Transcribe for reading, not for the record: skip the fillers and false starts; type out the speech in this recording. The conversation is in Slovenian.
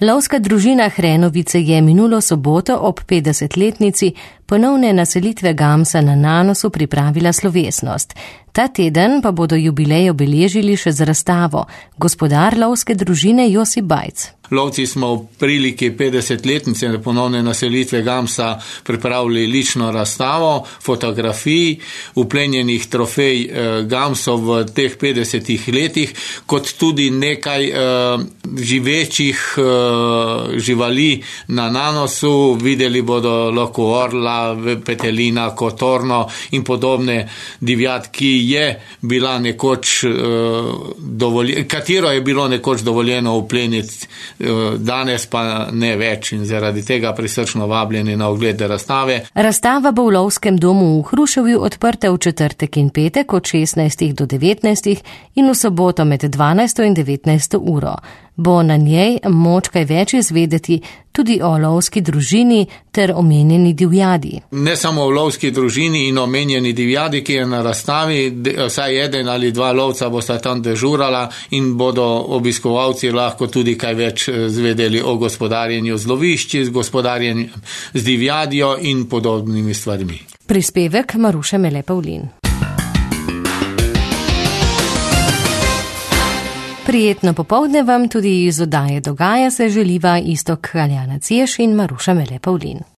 Lovska družina Hrenovice je minulo soboto ob 50-letnici ponovne naselitve gamsa na Nanosu pripravila slovesnost. Ta teden pa bodo jubilej obeležili še z razstavo. Gospodar lovske družine Josip Bajc. Lovci smo v priliki 50-letnice ponovne naselitve gamsa pripravili lično razstavo fotografij, uplenjenih trofej gamsov v teh 50 letih, kot tudi nekaj živečih živali na Nanosu. Videli bodo lahko orla, petelina, kotorno in podobne divjad, katero je bilo nekoč dovoljeno upleniti, danes pa ne več, in zaradi tega prisrčno vabljeni na ogled razstave. Razstava bo v Lovskem domu v Hruševju odprta v četrtek in petek od 16 do 19 in v soboto med 12 in 19 uro. Bo na njej moč kaj več izvedeti tudi o lovski družini ter omenjeni divjadi. Ne samo o lovski družini in omenjeni divjadi, ki je na razstavi, vsaj eden ali dva lovca bosta tam dežurala in bodo obiskovalci lahko tudi kaj več zvedeli o gospodarjenju z lovišči, z gospodarjenjem z divjadjo in podobnimi stvarmi. Prispevek Maruše Mele Pavlin. Prijetno popoldne vam tudi iz oddaje Dogaja se želiva Iztok Aljana Cieš in Maruša Mele Pavlin.